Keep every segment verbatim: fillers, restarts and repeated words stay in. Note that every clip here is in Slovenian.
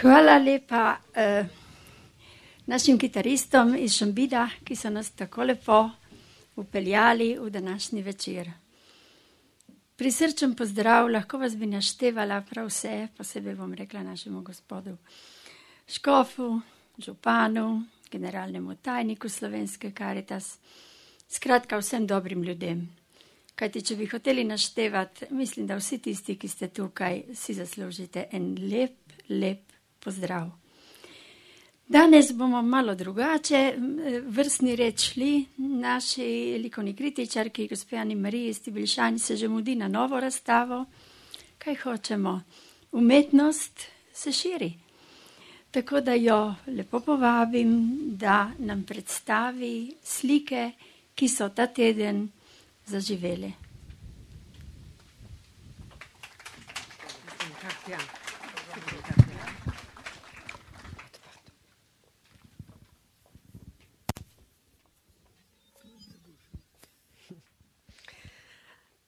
Hvala lepa uh, našim kitaristom iz Šambida, ki so nas tako lepo upeljali v današnji večer. Prisrčen pozdrav, lahko vas bi naštevala prav vse, posebej bom rekla našemu gospodu škofu, županu, generalnemu tajniku Slovenske Karitas, skratka vsem dobrim ljudem. Kajti, če bi hoteli naštevati, mislim, da vsi tisti, ki ste tukaj, si zaslužite en lep, lep pozdrav. Danes bomo malo drugače vrstni red šli. Naši likovni kritičarki, gospe Ani Mariji Stibilšan, se že mudi na novo razstavo. Kaj hočemo? Umetnost se širi. Tako da jo lepo povabim, da nam predstavi slike, ki so ta teden zaživele.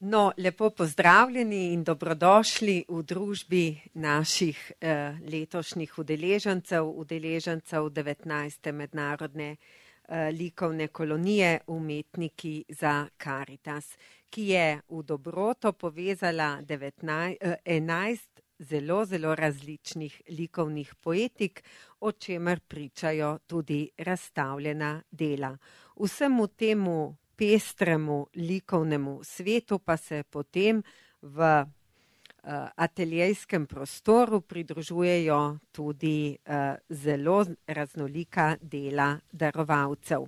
No, lepo pozdravljeni in dobrodošli v družbi naših eh, letošnjih udeležencev, udeležencev devetnajste mednarodne eh, likovne kolonije Umetniki za Karitas, ki je v dobroto povezala devetnajst, eh, enajst zelo, zelo različnih likovnih poetik, o čemer pričajo tudi razstavljena dela. Vsemu temu pestremu likovnemu svetu pa se potem v uh, ateljejskem prostoru pridružujejo tudi uh, zelo raznolika dela darovalcev.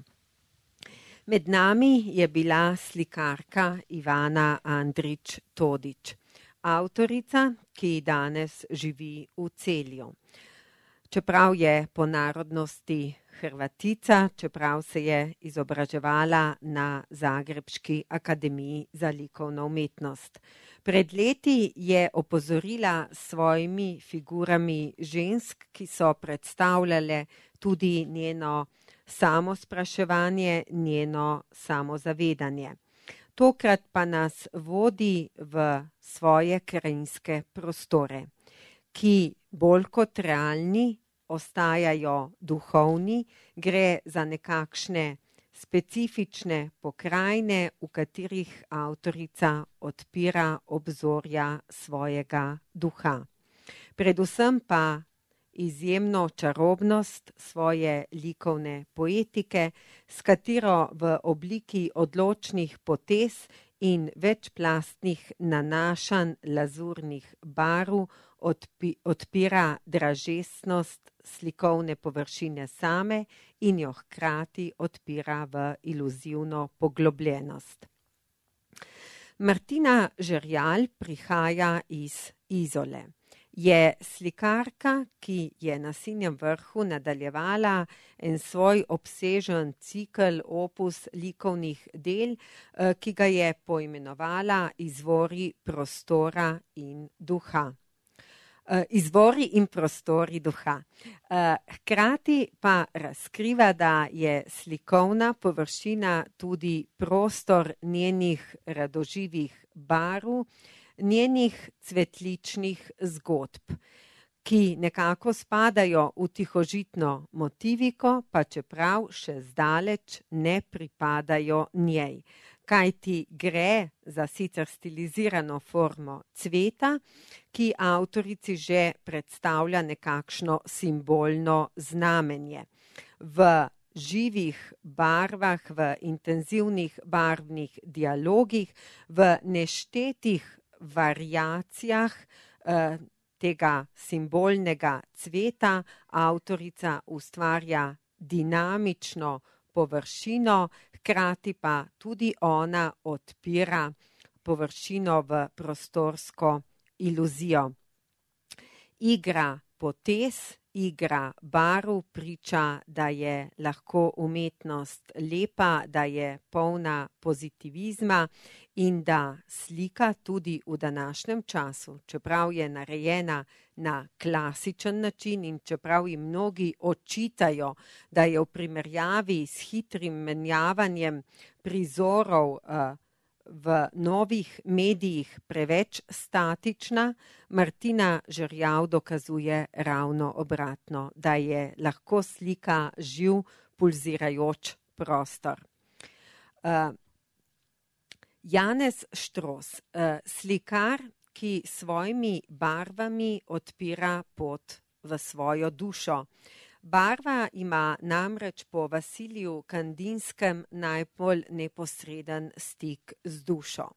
Med nami je bila slikarka Ivana Andrić Todić, avtorica, ki danes živi v Celju. Čeprav je po narodnosti Hrvatica, čeprav se je izobraževala na Zagrebški akademiji za likovno umetnost. Pred leti je opozorila s svojimi figurami žensk, ki so predstavljale tudi njeno samospraševanje, njeno samozavedanje. Tokrat pa nas vodi v svoje krajinske prostore, ki bolj kot realni ostajajo duhovni, gre za nekakšne specifične pokrajine, v katerih avtorica odpira obzorja svojega duha. Predvsem pa izjemno čarobnost svoje likovne poetike, s katero v obliki odločnih potez in večplastnih nanašanj lazurnih barv odpi, odpira dražestnost slikovne površine same in jo hkrati odpira v iluzivno poglobljenost. Martina Žerjal prihaja iz Izole. Je slikarka, ki je na Sinjem vrhu nadaljevala en svoj obsežen cikel opus likovnih del, ki ga je poimenovala Izvori prostora in duha. Izvori in prostori duha. Hkrati pa razkriva, da je slikovna površina tudi prostor njenih radoživih barv, njenih cvetličnih zgodb, ki nekako spadajo v tihožitno motiviko, pa čeprav še zdaleč ne pripadajo njej. Kajti gre za sicer stilizirano formo cveta, ki avtorici že predstavlja nekakšno simbolno znamenje. V živih barvah, v intenzivnih barvnih dialogih, v neštetih variacijah eh, tega simbolnega cveta avtorica ustvarja dinamično površino, hkrati pa tudi ona odpira površino v prostorsko iluzijo. Igra potez, igra barv priča, da je lahko umetnost lepa, da je polna pozitivizma in da slika tudi v današnjem času, čeprav je narejena na klasičen način in čeprav jim mnogi očitajo, da je v primerjavi s hitrim menjavanjem prizorov uh, v novih medijih preveč statična, Martina Žerjav dokazuje ravno obratno, da je lahko slika živ, pulzirajoč prostor. Uh, Janez Štros, uh, slikar, ki svojimi barvami odpira pot v svojo dušo. Barva ima namreč po Vasiliju Kandinskem najbolj neposreden stik z dušo.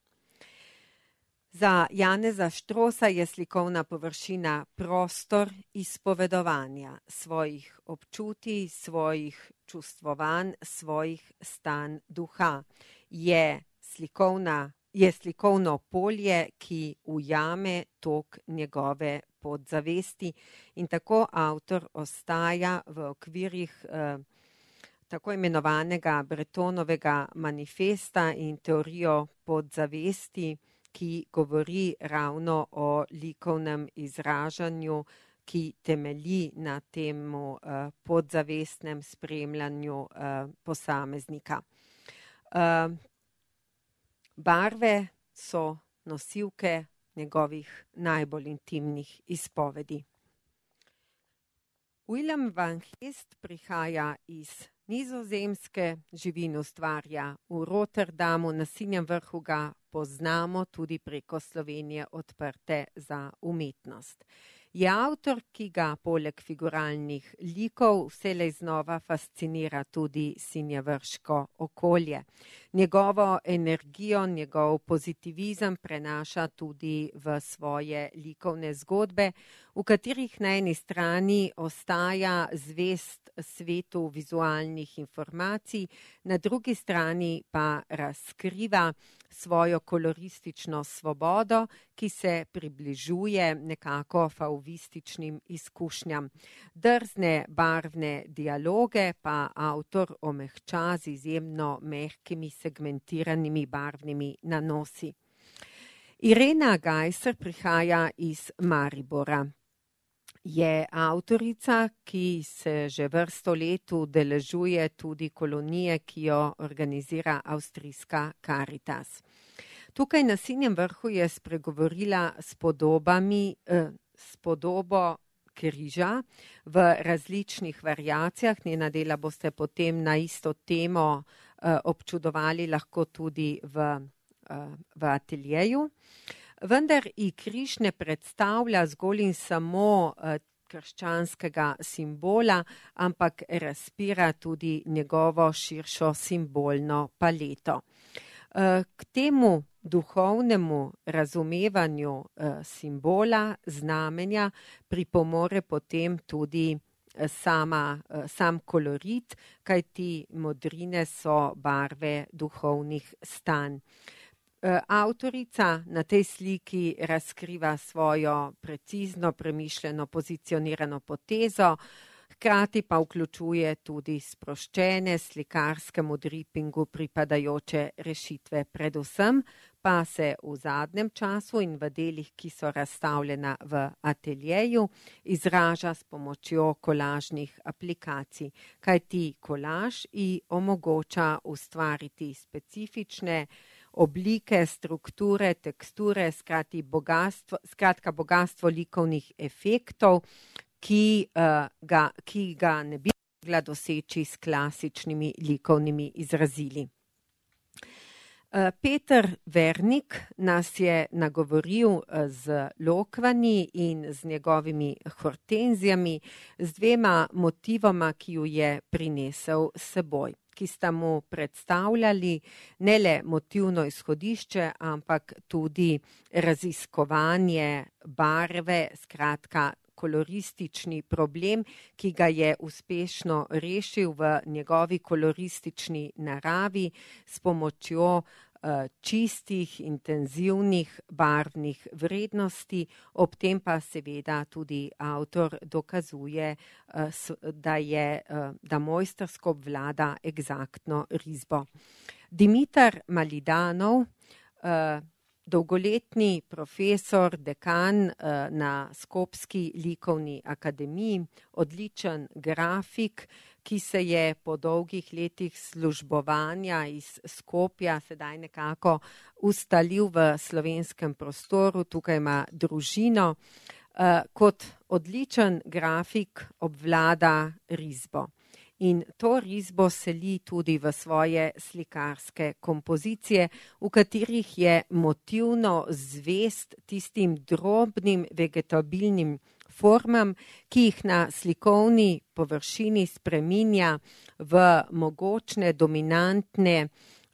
Za Janeza Štrosa je slikovna površina prostor izpovedovanja svojih občutij, svojih čustvovanj, svojih stanj duha. Je slikovna, je slikovno polje, ki ujame tok njegove podzavesti in tako avtor ostaja v okvirih eh, tako imenovanega Bretonovega manifesta in teorijo podzavesti, ki govori ravno o likovnem izražanju, ki temelji na temu uh, podzavestnem spremljanju uh, posameznika. Uh, barve so nosilke njegovih najbolj intimnih izpovedi. Willem van Geest prihaja iz Nizozemske, živi in ustvarja v Rotterdamu, na Sinjem vrhu ga poznamo tudi preko Slovenije odprte za umetnost. Je avtor, ki ga poleg figuralnih likov vselej znova fascinira tudi sinjevrško okolje. Njegovo energijo, njegov pozitivizem prenaša tudi v svoje likovne zgodbe, v katerih na eni strani ostaja zvest svetu vizualnih informacij, na drugi strani pa razkriva svojo koloristično svobodo, ki se približuje nekako fauvističnim izkušnjam. Drzne barvne dialoge pa avtor omehča z izjemno mehkimi segmentiranimi barvnimi nanosi. Irena Gajser prihaja iz Maribora. Je avtorica, ki se že vrsto let udeležuje tudi kolonije, ki jo organizira avstrijska Caritas. Tukaj na Sinjem vrhu je spregovorila s podobami, eh, s podobo križa v različnih variacijah. Njena dela boste potem na isto temo eh, občudovali lahko tudi v, eh, v ateljeju. Vendar i križ ne predstavlja zgolj in samo eh, krščanskega simbola, ampak razpira tudi njegovo širšo simbolno paleto. Eh, k temu duhovnemu razumevanju eh, simbola, znamenja, pripomore potem tudi eh, sama, eh, sam kolorit, kajti modrine so barve duhovnih stanj. Avtorica na tej sliki razkriva svojo precizno premišljeno pozicionirano potezo, hkrati pa vključuje tudi sproščene slikarskemu dripingu pripadajoče rešitve. Predvsem pa se v zadnjem času in v delih, ki so razstavljena v ateljeju, izraža s pomočjo kolažnih aplikacij, kajti kolaž ji omogoča ustvariti specifične oblike, strukture, teksture, skrati bogatstvo, skratka bogatstvo likovnih efektov, ki, uh, ga, ki ga ne bi mogla doseči s klasičnimi likovnimi izrazili. Uh, Peter Vernik nas je nagovoril z lokvani in z njegovimi hortenzijami, z dvema motivoma, ki ju je prinesel s seboj, ki sta mu predstavljali ne le motivno izhodišče, ampak tudi raziskovanje barve, skratka koloristični problem, ki ga je uspešno rešil v njegovi koloristični naravi s pomočjo čistih, intenzivnih barvnih vrednosti, ob tem pa seveda tudi avtor dokazuje, da je, da mojstrsko obvlada eksaktno risbo. Dimitar Malidanov dolgoletni profesor, dekan na Skopski likovni akademiji, odličen grafik, ki se je po dolgih letih službovanja iz Skopja sedaj nekako ustalil v slovenskem prostoru, tukaj ima družino. Kot odličen grafik obvlada risbo. In to risbo seli tudi v svoje slikarske kompozicije, v katerih je motivno zvest tistim drobnim vegetabilnim formam, ki jih na slikovni površini spreminja v mogočne, dominantne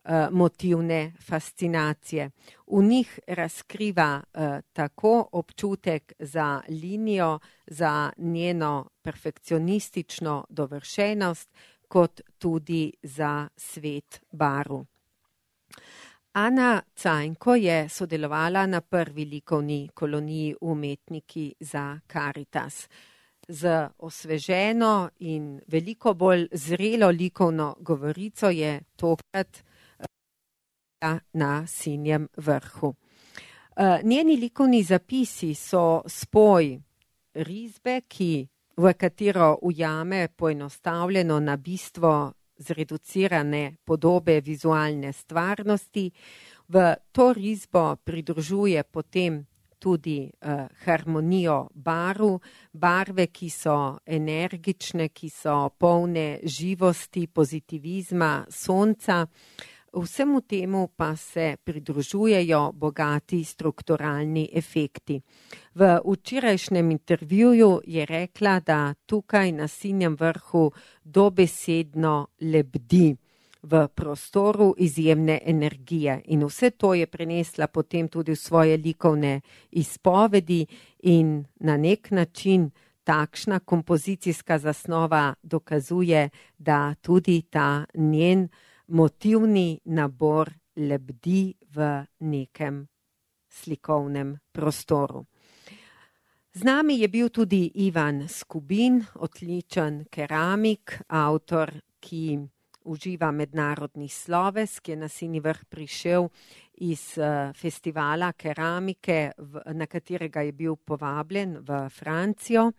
uh, motivne fascinacije. V njih razkriva uh, tako občutek za linijo, za njeno perfekcionistično dovršenost, kot tudi za svet barv. Ana Cajnko je sodelovala na prvi likovni koloniji Umetniki za Karitas. Z osveženo in veliko bolj zrelo likovno govorico je tokrat na Sinjem vrhu. Njeni likovni zapisi so spoj risbe, ki v katero ujame poenostavljeno na bistvo zreducirane podobe vizualne stvarnosti. V to risbo pridružuje potem tudi uh, harmonijo barv, barve, ki so energične, ki so polne živosti, pozitivizma, sonca. Vsemu temu pa se pridružujejo bogati strukturalni efekti. V včerajšnjem intervjuju je rekla, da tukaj na Sinjem vrhu dobesedno lebdi v prostoru izjemne energije. In vse to je prenesla potem tudi v svoje likovne izpovedi in na nek način takšna kompozicijska zasnova dokazuje, da tudi ta njen motivni nabor lebdi v nekem slikovnem prostoru. Z nami je bil tudi Ivan Skubin, odličen keramik, avtor, ki uživa mednarodni sloves, ki je na Sinji vrh prišel iz festivala keramike, na katerega je bil povabljen v Francijo.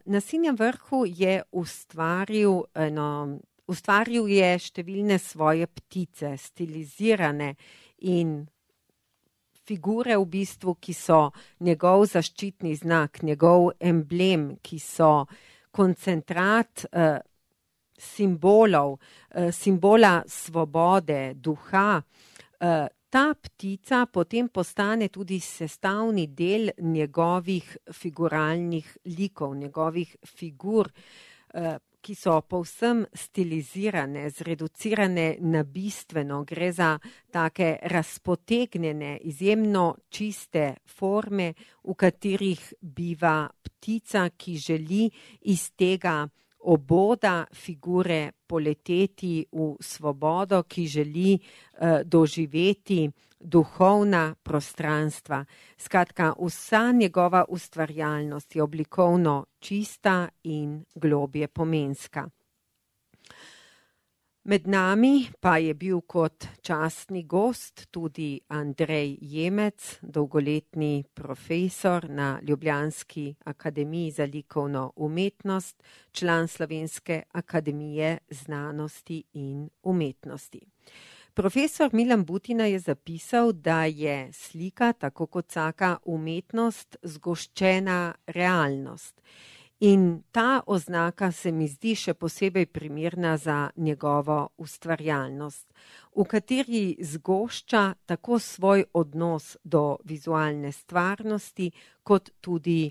Na Sinjem vrhu je ustvaril eno Ustvaril je številne svoje ptice, stilizirane in figure v bistvu, ki so njegov zaščitni znak, njegov emblem, ki so koncentrat eh, simbolov, eh, simbola svobode, duha. Eh, ta ptica potem postane tudi sestavni del njegovih figuralnih likov, njegovih figur, eh, ki so povsem stilizirane, zreducirane na bistveno. Gre za take razpotegnjene, izjemno čiste forme, v katerih biva ptica, ki želi iz tega oboda figure poleteti v svobodo, ki želi uh, doživeti duhovna prostranstva. Skratka, vsa njegova ustvarjalnost je oblikovno čista in globje pomenska. Med nami pa je bil kot častni gost tudi Andrej Jemec, dolgoletni profesor na Ljubljanski akademiji za likovno umetnost, član Slovenske akademije znanosti in umetnosti. Profesor Milan Butina je zapisal, da je slika, tako kot vsaka umetnost, zgoščena realnost. In ta oznaka se mi zdi še posebej primerna za njegovo ustvarjalnost, v kateri zgošča tako svoj odnos do vizualne stvarnosti, kot tudi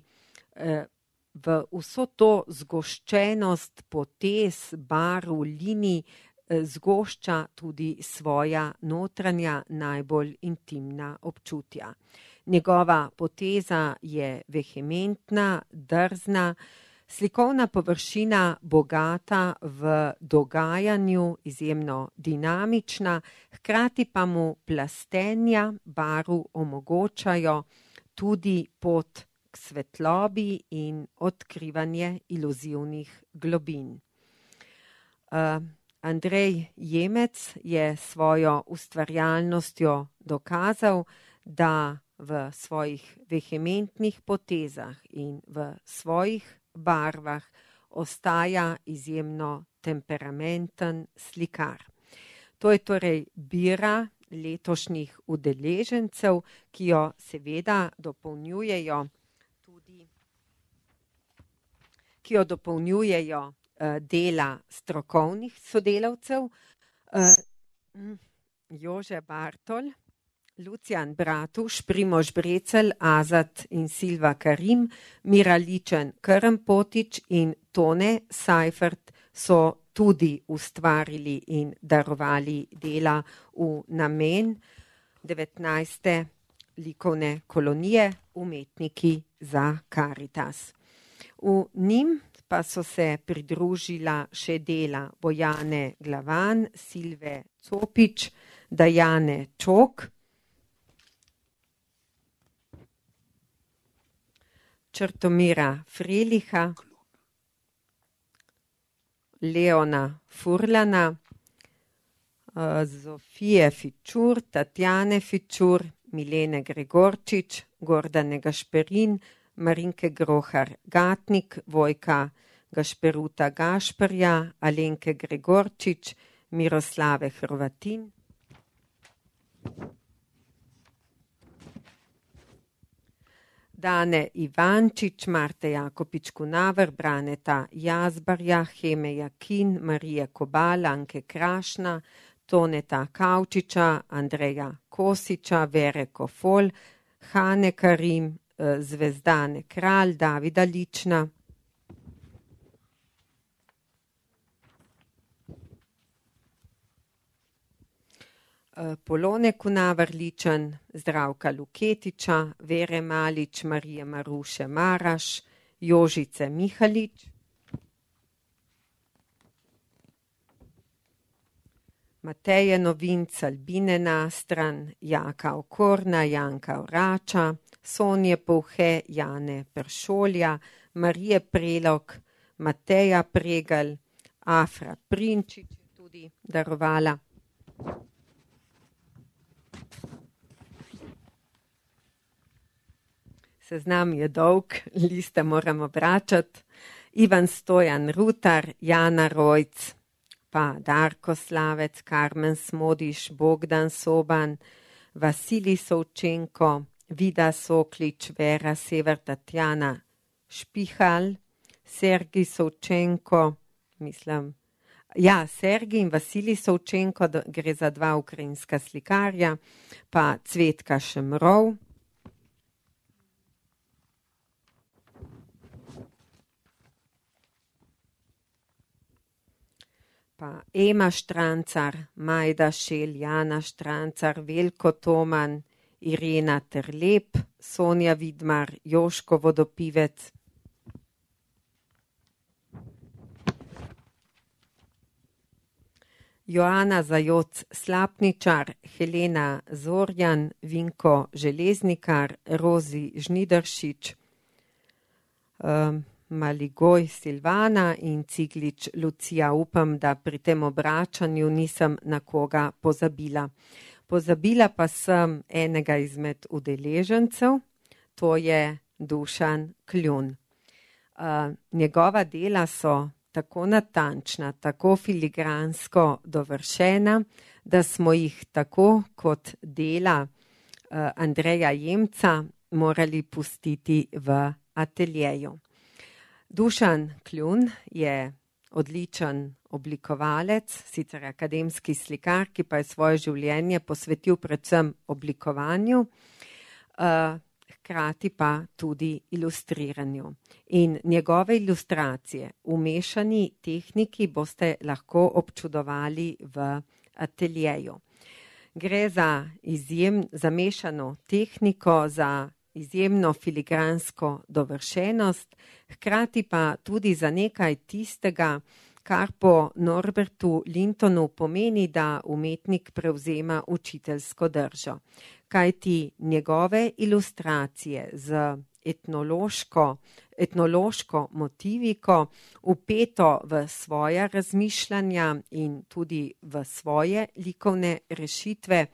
eh, v vso to zgoščenost potez, barv, linij, zgošča tudi svoja notranja, najbolj intimna občutja. Njegova poteza je vehementna, drzna, slikovna površina bogata v dogajanju, izjemno dinamična, hkrati pa mu plastenja barv omogočajo tudi pot k svetlobi in odkrivanje iluzivnih globin. Uh, Andrej Jemec je svojo ustvarjalnostjo dokazal, da v svojih vehementnih potezah in v svojih barvah ostaja izjemno temperamenten slikar. To je torej bira letošnjih udeležencev, ki jo seveda dopolnjujejo tudi, ki jo dopolnjujejo uh, dela strokovnih sodelavcev, uh, Jože Bartol, Lucijan Bratuš, Primož Brecelj, Azat in Silva Karim, Mira Ličen, Krmpotič in Tone Seifert so tudi ustvarili in darovali dela v namen devetnajste likovne kolonije Umetniki za Karitas. V njim pa so se pridružila še dela Bojane Glavan, Silve Copič, Dajane Čok, Črtomira Freliha, Leona Furlana, Zofije Fičur, Tatjane Fičur, Milene Gregorčič, Gordane Gašperin, Marinke Grohar Gatnik, Vojka Gašperuta Gašperja, Alenke Gregorčič, Miroslave Hrvatin, Dane Ivančič, Marte Jakopič Kunaver, Braneta Jazbarja, Heme Jakin, Marije Kobal, Anke Krašna, Toneta Kavčiča, Andreja Kosiča, Vere Kofol, Hane Karim, Zvezdane Kralj, Davida Lična, Polone Kunaver Ličen, Zdravka Luketiča, Vere Malič, Marije Maruše Maraš, Jožice Mihalič, Mateje Novinc, Albine Nastran, Jaka Okorna, Janka Orača, Sonje Povhe, Jane Peršolja, Marije Prelog, Mateja Pregelj, Afra Prinčič tudi darovala. Seznam je dolg, liste moramo vračati. Ivan Stojan Rutar, Jana Rojc, pa Darko Slavec, Karmen Smodiš, Bogdan Soban, Vasilij Sovčenko, Vida Soklič, Vera Sever, Tatjana Špihal, Sergij Sovčenko, mislim, ja, Sergij in Vasilij Sovčenko, gre za dva ukrajinska slikarja, pa Cvetka Šemrov, pa Ema Štrancar, Majda Šel, Jana Štrancar, Veljko Toman, Irena Terlep, Sonja Vidmar, Joško Vodopivec, Joana Zajoc Slapničar, Helena Zorjan, Vinko Železnikar, Rozi Žnidaršič, um, Maligoj Silvana in Ciglič Lucija. Upam, da pri tem obračanju nisem na koga pozabila. Pozabila pa sem enega izmed udeležencev, to je Dušan Kljun. Uh, njegova dela so tako natančna, tako filigransko dovršena, da smo jih tako kot dela uh, Andreja Jemca morali pustiti v ateljeju. Dušan Kljun je odličen oblikovalec, sicer akademski slikar, ki pa je svoje življenje posvetil predvsem oblikovanju, uh, hkrati pa tudi ilustriranju. In njegove ilustracije v mešani tehniki boste lahko občudovali v ateljeju. Gre za izjem, za mešano tehniko, za izjemno filigransko dovršenost, hkrati pa tudi za nekaj tistega, kar po Norbertu Lintonu pomeni, da umetnik prevzema učiteljsko držo. Kajti njegove ilustracije z etnološko, etnološko motiviko, vpeto v svoja razmišljanja in tudi v svoje likovne rešitve,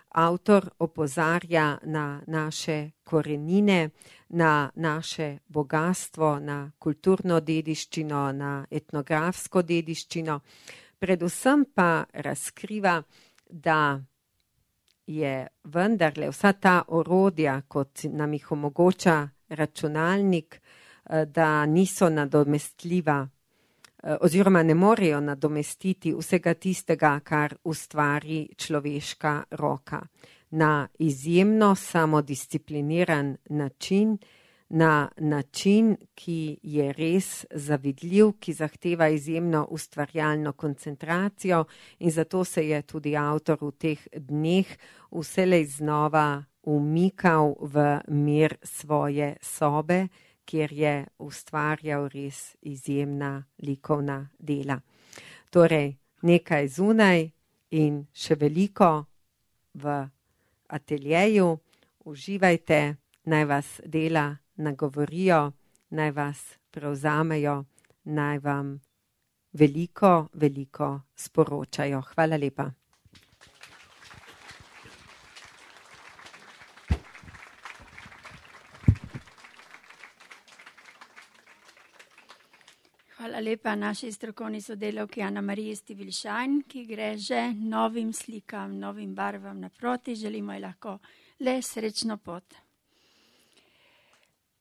Avtor opozarja na naše korenine, na naše bogatstvo, na kulturno dediščino, na etnografsko dediščino. Predvsem pa razkriva, da je vendarle vsa ta orodja, kot nam jih omogoča računalnik, da niso nadomestljiva oziroma ne morejo nadomestiti vsega tistega, kar ustvari človeška roka. Na izjemno samodiscipliniran način, na način, ki je res zavidljiv, ki zahteva izjemno ustvarjalno koncentracijo, in zato se je tudi avtor v teh dneh vselej znova umikal v mir svoje sobe, kjer je ustvarjal res izjemna likovna dela. Torej, nekaj zunaj in še veliko v ateljeju. Uživajte, naj vas dela nagovorijo, naj vas prevzamejo, naj vam veliko, veliko sporočajo. Hvala lepa. Hvala lepa naši strokovni sodelavki Ana Mariji Stivilšajn, ki gre že novim slikam, novim barvam naproti. Želimo ji lahko le srečno pot.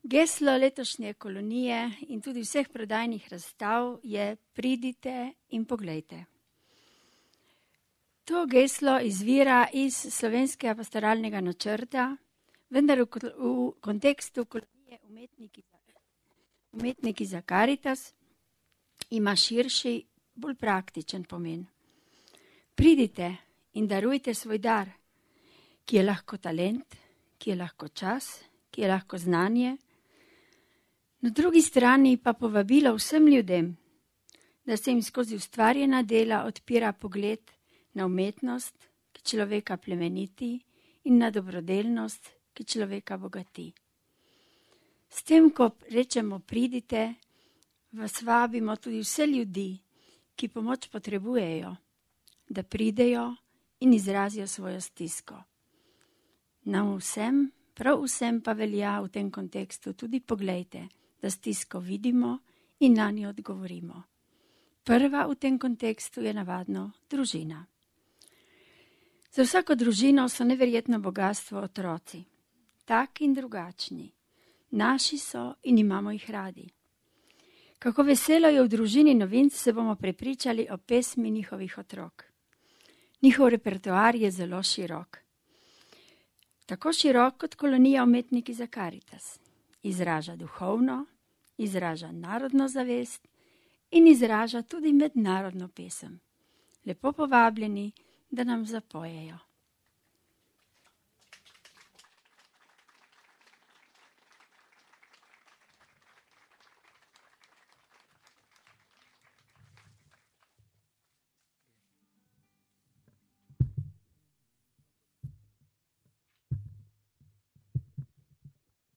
Geslo letošnje kolonije in tudi vseh prodajnih razstav je pridite in poglejte. To geslo izvira iz slovenskega pastoralnega načrta, vendar v, v kontekstu kolonije umetniki, umetniki za Karitas ima širši, bolj praktičen pomen. Pridite in darujte svoj dar, ki je lahko talent, ki je lahko čas, ki je lahko znanje. Na drugi strani pa povabilo vsem ljudem, da se jim skozi ustvarjena dela odpira pogled na umetnost, ki človeka plemeniti, in na dobrodelnost, ki človeka bogati. S tem, ko rečemo pridite, vas vabimo tudi vse ljudi, ki pomoč potrebujejo, da pridejo in izrazijo svojo stisko. Nam vsem, prav vsem pa velja v tem kontekstu tudi poglejte, da stisko vidimo in na njo odgovorimo. Prva v tem kontekstu je navadno družina. Za vsako družino so neverjetno bogatstvo otroci, tak in drugačni. Naši so in imamo jih radi. Kako veselo je v družini Novinc, se bomo prepričali o pesmi njihovih otrok. Njihov repertoar je zelo širok. Tako širok kot kolonija Umetniki za Karitas. Izraža duhovno, izraža narodno zavest in izraža tudi mednarodno pesem. Lepo povabljeni, da nam zapojejo.